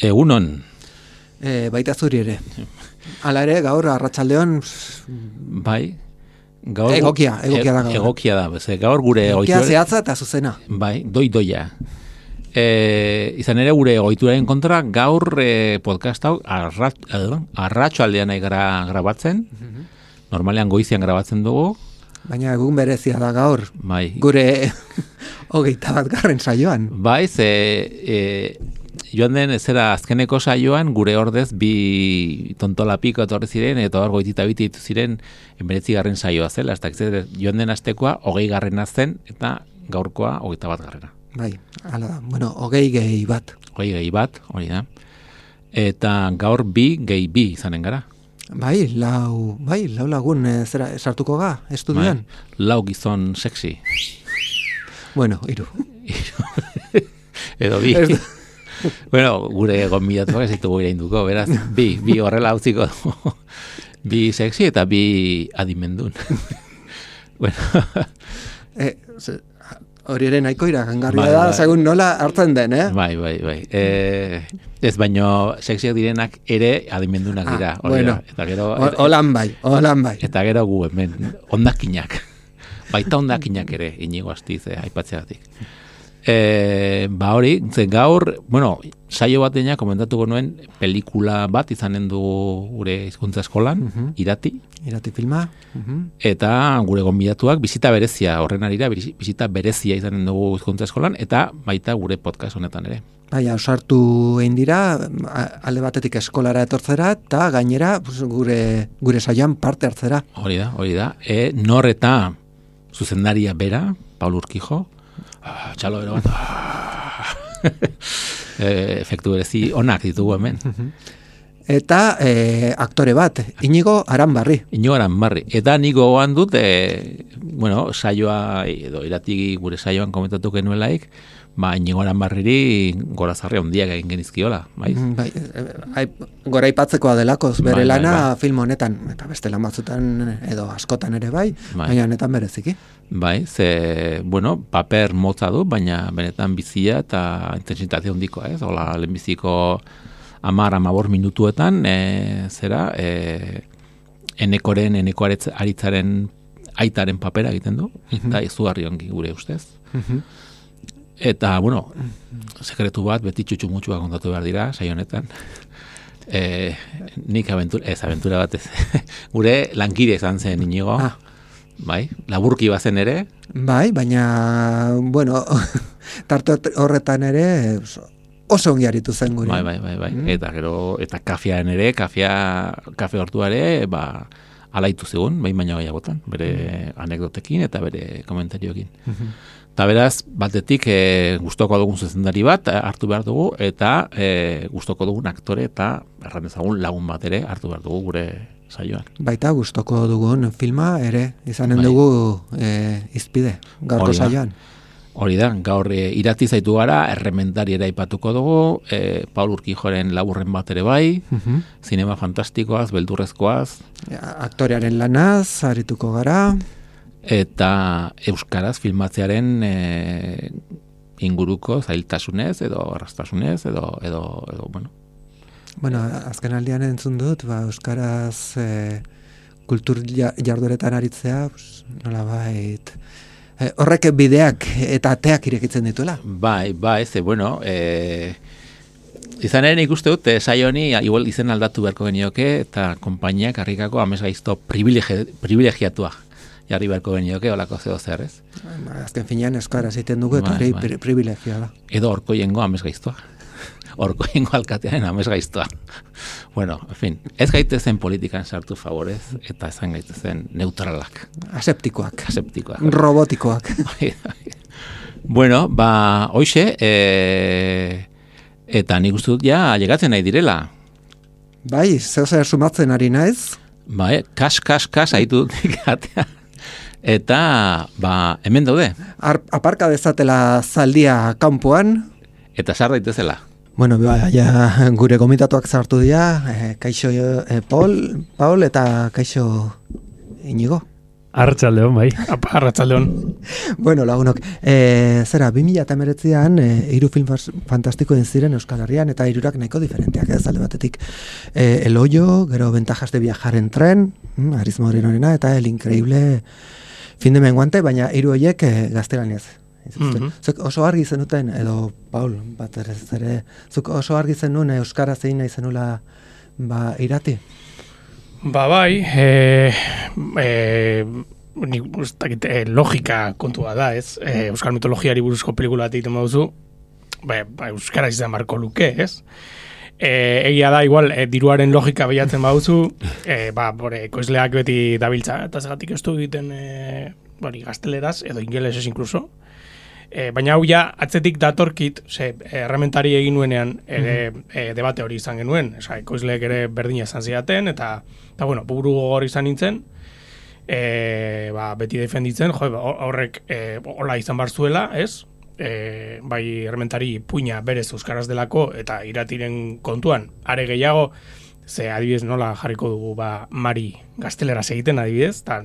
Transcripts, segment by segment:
Egunon. Baita zuri ere. Hala ere, gaur arratsaldeon Bai. Gaur egokia da gaur. Egokia da, gaur gure egokia zehatza eta zuzena. Bai, doia. Izan ere gure ohituraren kontra gaur podcast hau arratsaldean grabatzen. Normalean goizean grabatzen dugu. Baina egun berezia da gaur. Bai. Gure 21. saioan. Bai, joan den zera azkeneko saioan gure ordez bi tontolapiko etorri ziren eta hor goitita biti ditu ziren 19. saioa zela, joan den astekoa 20. zen eta gaurkoa 21. Bai, hala da. Bueno, 20 bat. 20 bat, hori da. Eta gaur 2 izanen gara. Bai, lau lagun zera sartuko ga estudioan. Bai, lau gizon sexy. Bueno, 3. Edo 2. Bueno, gure gonbidatuak ez ditugu irainduko, beraz, 2 horrela utziko dugu. 2 sexy eta 2 adimendun. Bueno. Hori ere nahiko iragangarria da, segun nola hartzen den, Bai. Ez baino sexiak direnak ere adimendunak dira. Bueno, eta gero, holan bai. Eta gero gu hemen, ondakinak. Baita ondakinak ere, Inigo Astiz, aipatzeagatik. Hori, gaur, saio batean komentatuko nuen pelikula bat izanen du gure hizkuntza eskolan, Irati filma. Eta gure gonbidatuak bizita berezia, horren arira bizita berezia izanen dugu hizkuntza eskolan, eta baita gure podcast honetan ere. Bai, ausartu egin dira, alde batetik eskolara etortzera, eta gainera gure saioan parte hartzera. Hori da. Nor eta zuzendaria bera, Paul Urquijo, txalo bero bat, efektu berezi onak ditugu hemen. Eta aktore bat, Inigo Aranbarri. Eta nigo goan dut, saioa, edo Irati gure saioan komentatu genuelaik, Inigo Aranbarriri gorazarri handiak egin genizkiola, bai? Gora ipatzekoa delakoz bere lana film honetan, eta beste lan batzutan edo askotan ere baina honetan bereziki. Bai, paper motza du, baina benetan bizia eta intensitate handikoa, ez? Hola, lehenbiziko 10-15 minutuetan, Eneko Aritzaren aitaren papera egiten du, eta izugarri ongi gure ustez. Eta, sekretu bat, beti txutxumutxua kontatu behar dira, saio honetan. Nik aventura bat ez. Gure lankide izan zen Inigo. Bai, laburki bazen ere. Bai, baina, tarte horretan ere oso ongi aritu zen gure. Bai. Eta gero, kafean ere, kafe hortuare, alaitu zegoen, baina gehiagotan, bere anekdotekin eta bere komentarioekin. Eta beraz, batetik gustoko dugun zuzendari bat hartu behar dugu, eta gustoko dugun aktore eta erran ezagun lagun bat ere hartu behar dugu gure saioan. Baita gustoko dugun filma ere izanen dugu izpide gaurko saioan. Hori da, gaur Irati zaitu gara, errementari ere aipatuko dugu, Paul Urquijoren laburren bat ere bai, zinema fantastikoaz, beldurrezkoaz. Aktorearen lanaz, arituko gara. Eta euskaraz filmatzearen inguruko zailtasunez edo arrastasunez edo azken aldian entzun dut, euskaraz kultur jardueretan aritzea, nolabait horrek bideak eta ateak irekitzen dituela. Bai, izan ere nik uste dut, saio honi igual izen aldatu beharko genioke eta konpainiak harrikako amesgaizto privilegiatua jarri beharko genioke, olako zeo zer, ez? Azken finean euskaraz egiten dugu eta hori privilegioa da. Edo Orkoiengo amesgaiztoa. Orkoiengo alkatearen amesgaiztoa. En fin, ez gaitezen politikan sartu favorez, eta ezan gaitezen neutralak. Aseptikoak. Robotikoak. Hoxe, eta nik uste dut ja llegatzen nahi direla. Bai, zer sumatzen ari naiz? Bai, kas, haitu dut atea. Eta, hemen daude. Aparka dezatela zaldia kanpoan. Eta sar daitezela. Bueno, ja, gure gomitatuak sartu dira, kaixo Paul eta kaixo Inigo. Arratsaldeon, bai. Arratsaldeon. Bueno, lagunok, 2019an 3 film fantastiko egin ziren Euskal Herrian eta 3 nahiko diferenteak ez alde batetik. El Hoyo, gero Ventajas de viajar en tren, Aritz Morenorena eta El Increíble fin de menguante, baina 3 horiek gaztelaniaz. Zuk oso argi zenuten, edo Paul, bat ere, zuk oso argi zenuen euskaraz egin nahi zenula irati? Bai, logika kontua da, ez? Euskal mitologiari buruzko pelikula bat egiten baduzu, euskaraz izan marko luke, ez? Egia da, igual, diruaren logika behiatzen baduzu, ekoizleak beti dabiltza, eta zagatik ez du egiten gazteleraz, edo ingelesez inkluso. Baina hau ja, atzetik datorkit, errementari egin nuenean debate hori izan genuen, ekoizleek ere berdina izan zidaten, eta buru gogor izan nintzen, beti defenditzen, horrek hola izan bar zuela, ez? Bai errementari puina berez euskaraz delako, eta iratiren kontuan, are gehiago, ze adibidez nola jarriko dugu Mari gazteleraz egiten adibidez, eta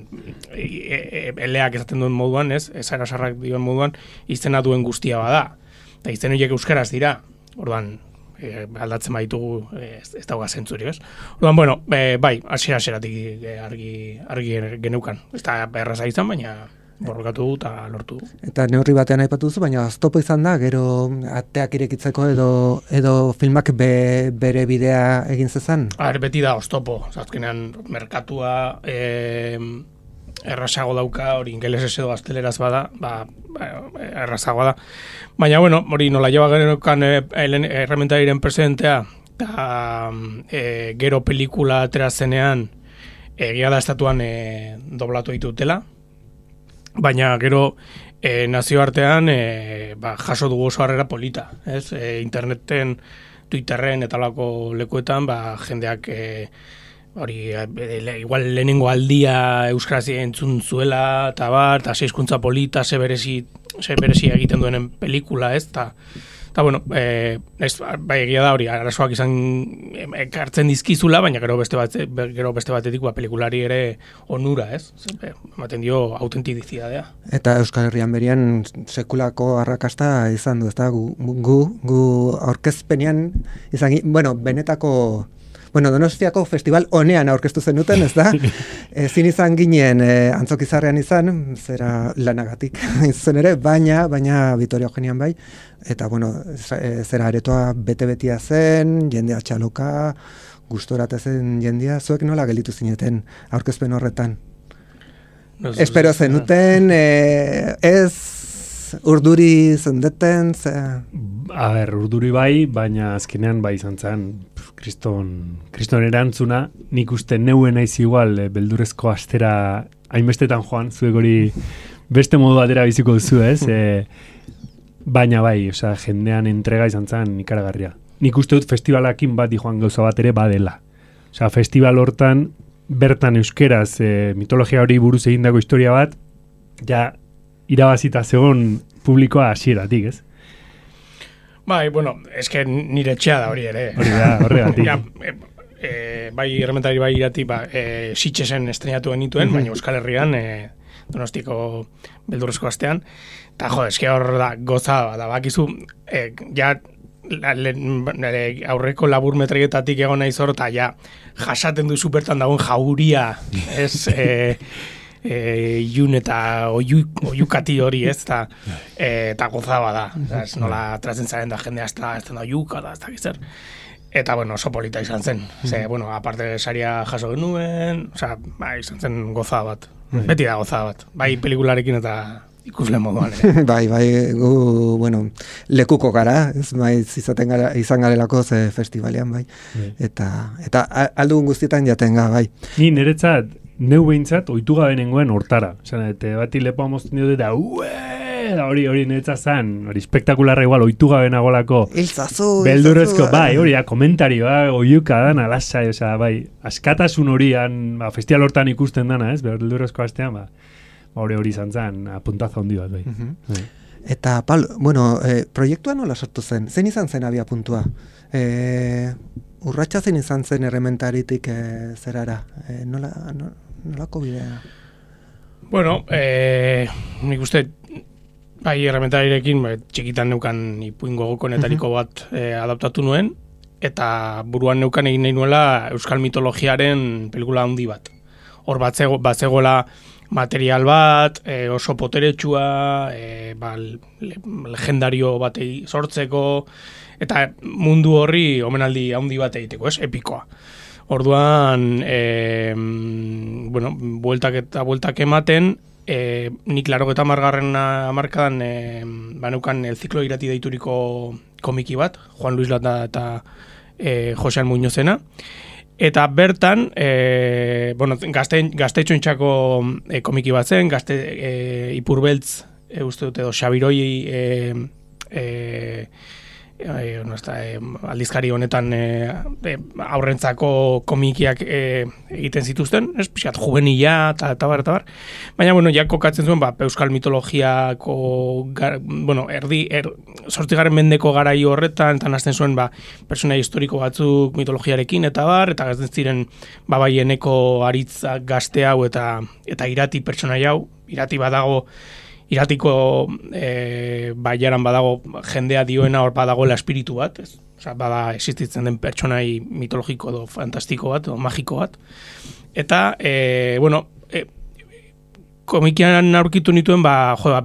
eleak esaten duen moduan, ez, ezara sarrak duen moduan, izena duen guztia bada. Eta izen horiek euskaraz dira, orduan aldatzen baitugu ez dauga zentzuri, ez? Orduan, bai, hasieratik argi geneukan. Ez da erraza izan, baina borrokatu du eta lortu du. Eta neurri batean aipatu duzu, baina oztopo izan da, gero ateak irekitzeko edo filmak bere bidea egin zezan? Beti da oztopo. Azkenean merkatua errazago dauka, hori ingelesez edo gazteleraz bada, errazagoa da. Baina, hori nola joa geneukan errementariren presidentea, eta gero pelikula atera zenean, egia da estatuan doblatu ditutela, baina gero nazioartean jaso dugu oso harrera polita, ez? Interneten, Twitterren eta lako lekuetan, jendeak igual lehenengo aldia euskaraz entzun zuela, eta seizkuntza polita, ze berezi egiten duenen pelikula, ez? Bai egia da hori, arazoak izan ekartzen dizkizula, baina gero beste batetik pelikulari ere onura, ez? Ematen dio autentikidadea. Eta Euskal Herrian berian sekulako arrakasta izan du, ezta? Gu aurkezpenean izan, benetako Donostiako festival honean aurkeztu zenuten, ez da? Ezin izan ginen Antzokizarrean izan, zera lanagatik izan ere, baina Vitoria Eugenian bai, eta zera aretoa bete-betia zen, jendea txaloka, gustorate zen jendea, zuek nola gelitu zineten aurkezpen horretan? Espero zenuten, ez urduri zendeten? Urduri bai, baina azkenean bai izan zen, kriston erantzuna, nik uste neuen naiz igual beldurrezko astera hainbestetan joan, zuek hori beste modu batera biziko duzu, ez? Baina bai, jendean entrega izan zen ikaragarria. Nik uste dut festivalakin bat joan gauza bat ere badela. Festival hortan, bertan euskeraz mitologia hori buruz egindako historia bat, ja irabazita zegoen publikoa hasieratik, ez? Bai, eske nire etxea da hori ere. Hori da, horregatik. Bai, errementari bai irati, Sitxesen estrenatu genituen, baina Euskal Herrian, Donostiko beldurrezko astean, eta eske hor da, goza da, bakizu, aurreko labur metraietatik egon naiz hor, eta jasaten duzu bertan dagoen jauria, ez, ilun eta oiukati hori, ez, eta gozaba da, ez nola trazen zaren da jendea ez da oiuka da, ez da gizar. Eta, oso polita izan zen. Aparte saria jaso genuen, izan zen gozaba bat. Beti da gozaba bat. Bai pelikularekin eta ikusle moduan. Bai, gu, lekuko gara, ez izan garelako ze festivalean, bai. Eta aldugun guztietan jaten ga, bai. Ni niretzat, neu behintzat, oitu gabe nengoen hortara. Bati lepoa mozten dut eta, hori netza zan, hori spektakularra igual, oitu gabe nagolako. Iltzazu, Beldurrezko, hori, komentarioa, oiuka dan, alasai, askatasun horian, festival hortan ikusten dana, ez, beldurrezko astean, hori izan zen, apuntazo handi bat, bai. Eta, bueno, proiektua nola sortu zen? Zein izan zen abia puntua? Urratxa zein izan zen errementaritik zerara? Nolako bidea? Bueno, nik uste, bai errementarirekin txikitan neukan ipuin gogokonetariko bat adaptatu nuen, eta buruan neukan egin nahi nuela euskal mitologiaren pelikula handi bat. Hor batzegoela material bat, oso poteretsua, legendario batei sortzeko, eta mundu horri omenaldi handi bat egiteko, epikoa. Orduan, bueno, bueltak ematen, nik 80. hamarkadan baneukan El Ciclo irati deituriko komiki bat, Juan Luis Landa eta Josean Muñozena, eta bertan, bueno, gaztetxoentzako komiki bat zen, Ipurbeltz, uste dut edo Xabiroi aldizkari honetan aurrentzako komikiak egiten zituzten, pixkat juvenila eta bar. Baina, bueno, ja kokatzen zuen, euskal mitologiako, bueno, 8. mendeko garai horretan, eta nazten zuen, pertsona historiko batzuk mitologiarekin eta bar, eta gazten ziren, eneko aritza gazte hau eta irati pertsona hau, irati badago, iratiko baiaran badago jendea dioena hor badagoela espiritu bat, ez? Osea, bada existitzen den pertsonai mitologiko edo fantastiko bat, edo magiko bat. Eta, bueno, komikian aurkitu nituen,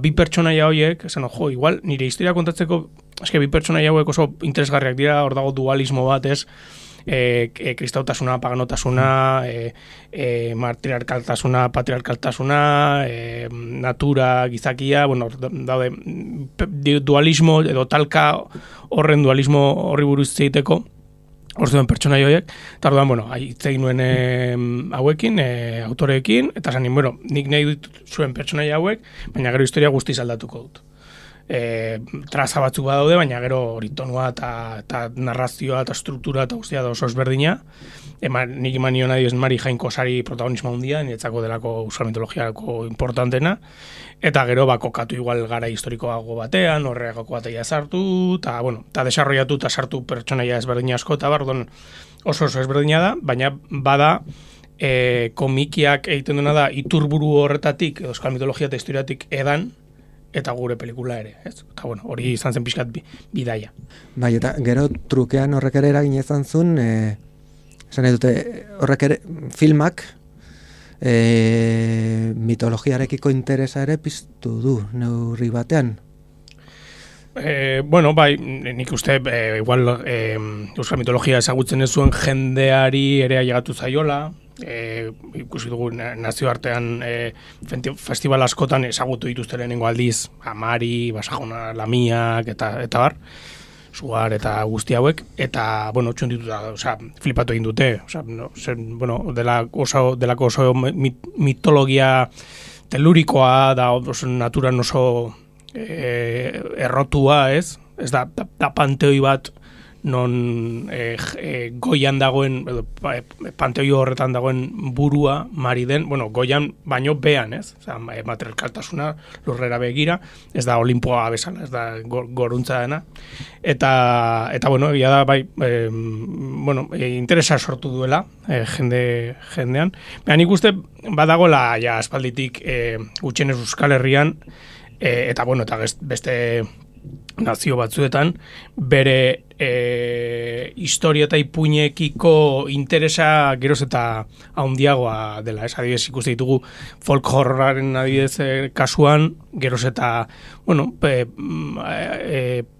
bi pertsonaia horiek, esan, igual, nire historia kontatzeko, eske bi pertsonaia hauek oso interesgarriak dira, hor dago dualismo bat, ez? Kristautasuna, paganotasuna, matriarkaltasuna, patriarkaltasuna, natura, gizakia, bueno, daude dualismo edo talka horren dualismo horri buruz egiteko, hor zuen pertsonai horiek, eta orduan, bueno, hitz egin nuen hauekin, autoreekin, eta zanin, bueno, nik nahi dut zuen pertsonai hauek, baina gero historia guztiz aldatuko dut. Traza batzuk badaude, baina gero hori tonua eta narrazioa eta struktura eta guztia da oso ezberdina. Nik eman nion adioz Mari Jainko Sari protagonismo handia, niretzako delako euskal mitologiako importantena, eta gero kokatu igual gara historikoago batean, horregako bateia sartu, eta bueno, eta desarrollatu eta sartu pertsonaia ezberdina asko, eta oso ezberdina da, baina bada komikiak egiten duena da iturburu horretatik, euskal mitologia eta historiatik edan, eta gure pelikula ere, ez? Eta bueno, hori izan zen pixkat bidaia. Bai, eta gero trukean horrek ere eragin izan zuen, esan dute, horrek ere filmak mitologiarekiko interesa ere piztu du, neurri batean. Bueno, bai, nik uste, igual, euskal mitologia ezagutzen ez zuen jendeari ere ailegatu zaiola, ikusi dugu nazioartean festival askotan ezagutu dituzte lehenengo aldiz, Amari, Basajona, Lamiak eta bar, Sugar eta guzti hauek, eta, bueno, txundituta, flipatu egin dute, bueno, delako oso mitologia telurikoa, da naturan oso errotua, ez da panteoi bat non goian dagoen, panteoi horretan dagoen burua mari den, bueno, goian baino bean, ez? Matriarkaltasuna lurrera begira, ez da Olimpoa bezala, ez da goruntza dena. Eta bueno, egia da, bai, bueno, interesa sortu duela jendean. Baina nik uste badagola ja aspalditik gutxienez Euskal Herrian, eta bueno, eta beste nazio batzuetan, bere historia eta ipuinekiko interesa geroz eta handiagoa dela. Adibidez, ikuste ditugu folk horroraren adibidez kasuan, geroz eta, bueno,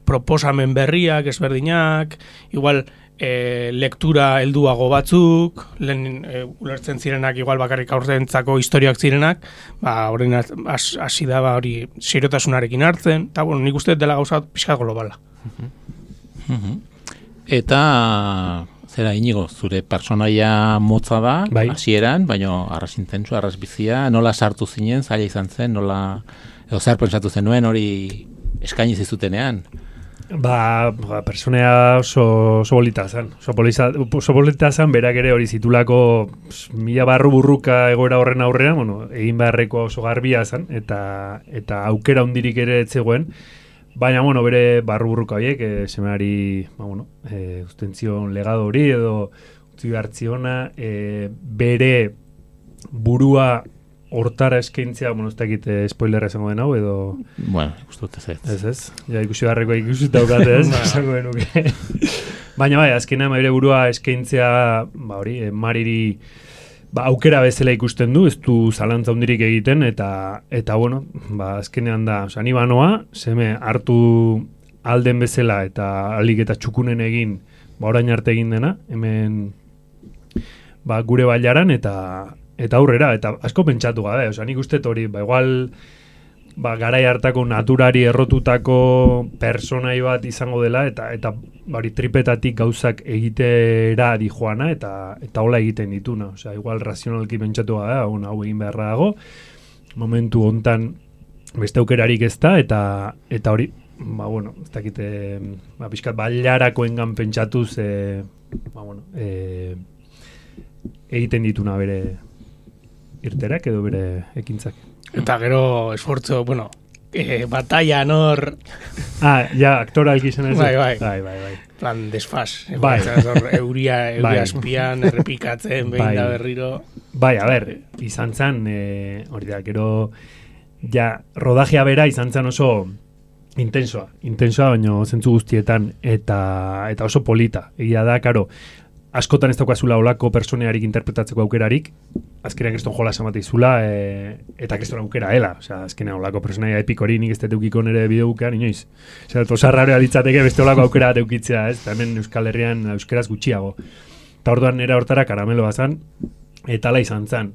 proposamen berriak, ezberdinak, igual lektura helduago batzuk, lehen ulertzen zirenak, igual bakarrik aurrentzako historiak zirenak, horrein hasi da hori serotasunarekin hartzen, eta bueno, nik uste dela gauza pixka globala. Eta zera Inigo, zure personaia motza da, hasieran, baina arras intentsua, arras bizia, nola sartu zinen, zaila izan zen, nola Edo zer pentsatu zenuen hori eskaini zizutenean? Personea oso bolita zen. Oso bolita zen, berak ere hori zitulako mila barru burruka egoera horren aurrean, egin beharreko oso garbia zen, eta aukera hundirik ere etzegoen, baina, bere barru burruka horiek, semeari, ustentzion legado hori, edo utzi behartziona, bere burua hortara eskaintzea, ez dakit spoilerra esango den hau, edo... Bueno, ikustu dut ez. Ez. Ja, ikusi beharreko ikusi daukate ez, esango denuke. Baina azkenean bere burua eskaintzea, Mariri aukera bezala ikusten du, ez du zalantza hundirik egiten, eta azkenean da, ni banoa, seme hartu alden bezala, eta alik eta txukunen egin, orain arte egin dena, hemen gure bailaran, eta aurrera, eta asko pentsatu gabe, nik uste hori, igual garai hartako naturari errotutako personai bat izango dela, eta tripetatik gauzak egitera di joana, eta hola egiten dituna, igual razionalki pentsatu gabe, hau egin beharra dago, momentu hontan beste aukerarik ez da, eta hori, ez dakite, pixkat bailarakoengan pentsatuz, egiten dituna bere irterak edo bere ekintzak. Eta gero esfortzo, batalla nor... aktora alkizena ez. Bai. Plan desfaz. Euria espian, errepikatzen, behin da berriro. Izan zen, hori da, gero, rodajea bera izan zen oso intensoa, baina zentzu guztietan, eta oso polita. Egia da, karo, askotan ez daukazula olako personearik interpretatzeko aukerarik, azkenean kriston jola esamatizula, eta kriston aukera hela. Azkenean olako personaia epikori nik ez teukiko nire bideobukean, inoiz. Osarraroa ditzateke beste olako aukera teukitzea, ez? Hemen Euskal Herrian euskeraz gutxiago. Eta orduan nera hortara karameloa zan, eta ala izan zan.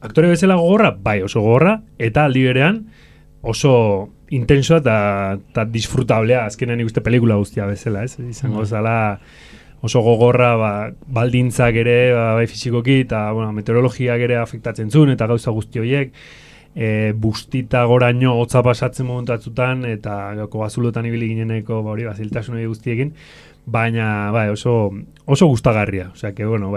Aktore bezala gogorra? Bai, oso gogorra, eta aldi berean oso intensoa eta disfrutablea, azkenean nik uste pelikula guztia bezala, ez? Izango zala oso gogorra, baldintzak ere, bai fizikoki, eta meteorologiak ere afektatzen zuen, eta gauza guzti horiek, bustita goraino hotza pasatzen momentatzutan, eta bazulotan ibili gineneko ziltasun hori guztiekin, baina oso gustagarria.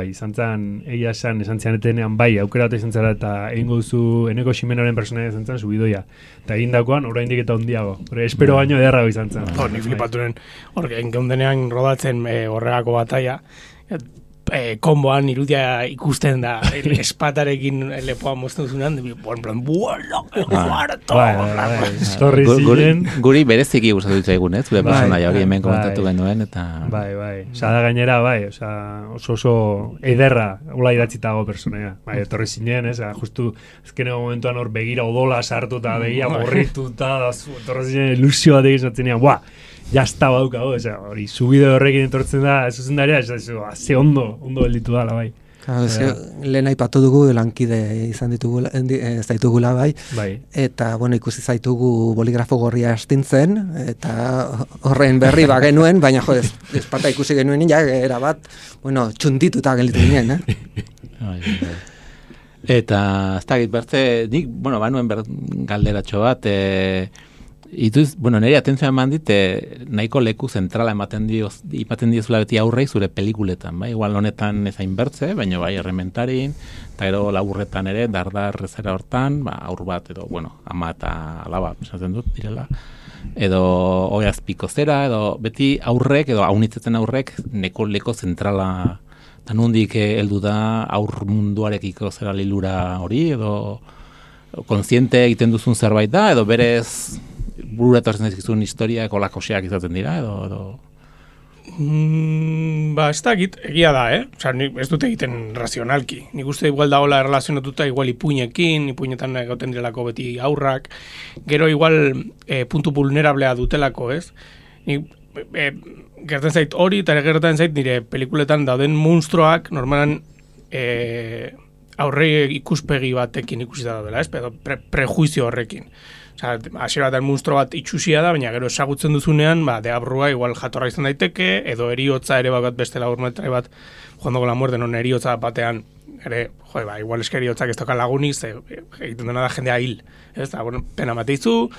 Izan zen, egia esan zianetenean, aukera bat izan zara, eta egingo duzu Eneko Ximenoren personaia izan zen, subidoia. Eta egindakoan, oraindik eta hondiago. Espero baino ederrago izan zen. Nik flipaturen, geundenean rodatzen horregako bataia, komboan irudia ikusten da, espatarekin lepoa mozten zunan, en plan, Guri bereziki gustatu ditzaigun, ez? Zure personaia hori hemen komentatu genuen, eta... Da gainera, oso ederra, hola idatzitago personaia. Etorri zinen, ez? Justu, ezkeneko momentuan hor begira odola sartu eta begia borrituta, etorri zinen ilusio bat egin zatzen nian, jazta bauka, hori subide horrekin entortzen da, zuzendaria, ze ondo gelditu dala, bai. Lehen aipatu dugu lankide izan zaitugula, bai. Eta, ikusi zaitugu boligrafo gorria astintzen, eta horren berri genuen, baina, espata ikusi genuen erabat, txundituta gelditu ginen, Eta, ez dakit, bertze, nik, banuen galderatxo bat, nire atentzioa eman dit, nahiko leku zentrala ematen diozula beti aurrei zure pelikuletan, igual honetan ezain bertze, baina errementarin, eta gero laburretan ere, dardar zera hortan, aur bat, edo, ama eta alaba, esaten dut, direla, edo oiazpiko zera, edo beti aurrek, edo haunitzetzen aurrek, neko leko zentrala, eta nondik heldu da aur munduarekiko zera lilura hori, edo kontziente egiten duzun zerbait da, edo berez burura etortzen dizkizun historiak olakoseak izaten dira, edo... Ez dakit, egia da, ez dute egiten razionalki. Nik uste igual da hola erlazionatuta igual ipuinekin, ipuinetan gauten direlako beti aurrak, gero igual puntu vulnerablea dutelako, ez? Gertzen zait hori, eta gertzen zait nire pelikuletan dauden monstruoak normalan aurre ikuspegi batekin ikusita daudela, ez? Prejuizio horrekin. Hasiera batean monstro bat itxusia da, baina gero esagutzen duzunean, deabrua igual jatorra izan daiteke, edo eriotza ere bat beste laburmetrai bat, Juan dogo la muerte, non eriotza batean ere, igual eskeriotzak ez toka lagunik, egiten dena da jendea hil, ez da, bueno, pena mateizu,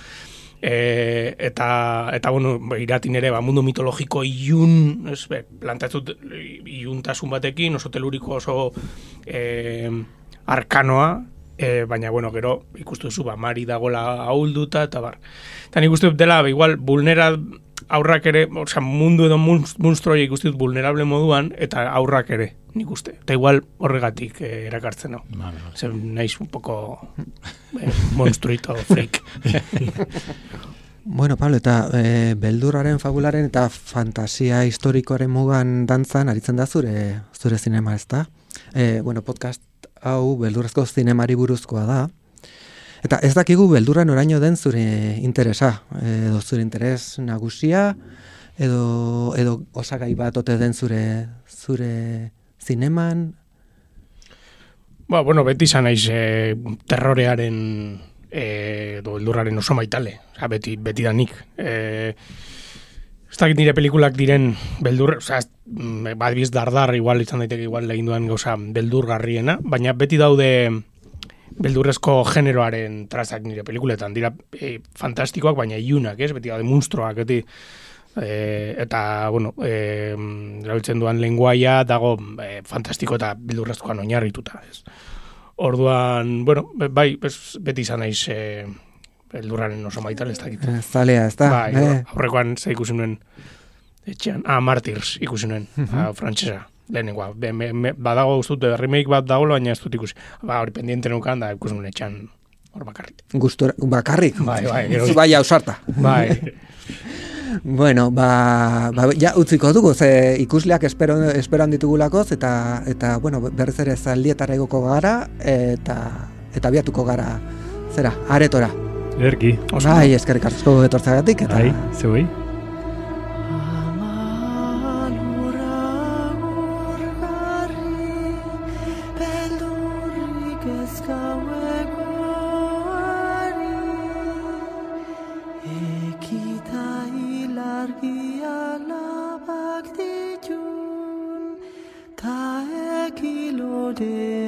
eta bueno, iratin ere, mundu mitologiko ilun, ez, plantatzut iluntasun batekin, oso teluriko, oso arkanoa, baina, bueno, gero, ikustu zu, Mari dagola ahulduta, eta bar. Eta nik uste dela, igual, aurrak ere, osea, mundu edo monstruoia ikusti dut vulnerable moduan, eta aurrak ere, nik uste. Eta igual horregatik erakartzen hau. Zer naiz un poco monstruito freak. Bueno, Pablo, eta beldurraren, fabularen eta fantasia historikoaren mugan dantzan aritzen da zure zinema, ez da? Bueno, podcast hau beldurrezko zinemari buruzkoa da. Eta ez dakigu beldurra noraino den zure interesa, edo zure interes nagusia, edo osagai bat ote den zure zineman? Bueno, beti izan naiz terrorearen edo beldurraren oso maitale, beti da nik. Ez dakit nire pelikulak diren beldur, badibiz dardar, igual izan daiteke igual egin duen gauza beldurgarriena, baina beti daude beldurrezko generoaren trazak nire pelikuletan, dira fantastikoak, baina iunak, ez? Beti daude monstruoak, eta, bueno, erabiltzen duan lenguaia dago fantastiko eta beldurrezkoan oinarrituta, ez? Orduan, bueno, bai, beti izan naiz beldurraren oso maital, ez dakit. Zalea, ez da? Bai, aurrekoan ze ikusi nuen etxean, Martyrs ikusi nuen, frantsesa. Lehenengoa, badago guztut, remake bat dago, baina ez dut ikusi. Hori pendiente nukan, da ikusi nuen etxean hor bakarrik. Bakarrik? Bai. Bai, ausarta. Bai. Bueno, ja utziko dugu, ze ikusleak esperan ditugulakoz, eta bueno, berriz ere zaldietara egoko gara, eta biatuko gara, zera, aretora. Erki. Bai, eskerrik asko etortzagatik, eta... Bai, zeuei. Ta ekilode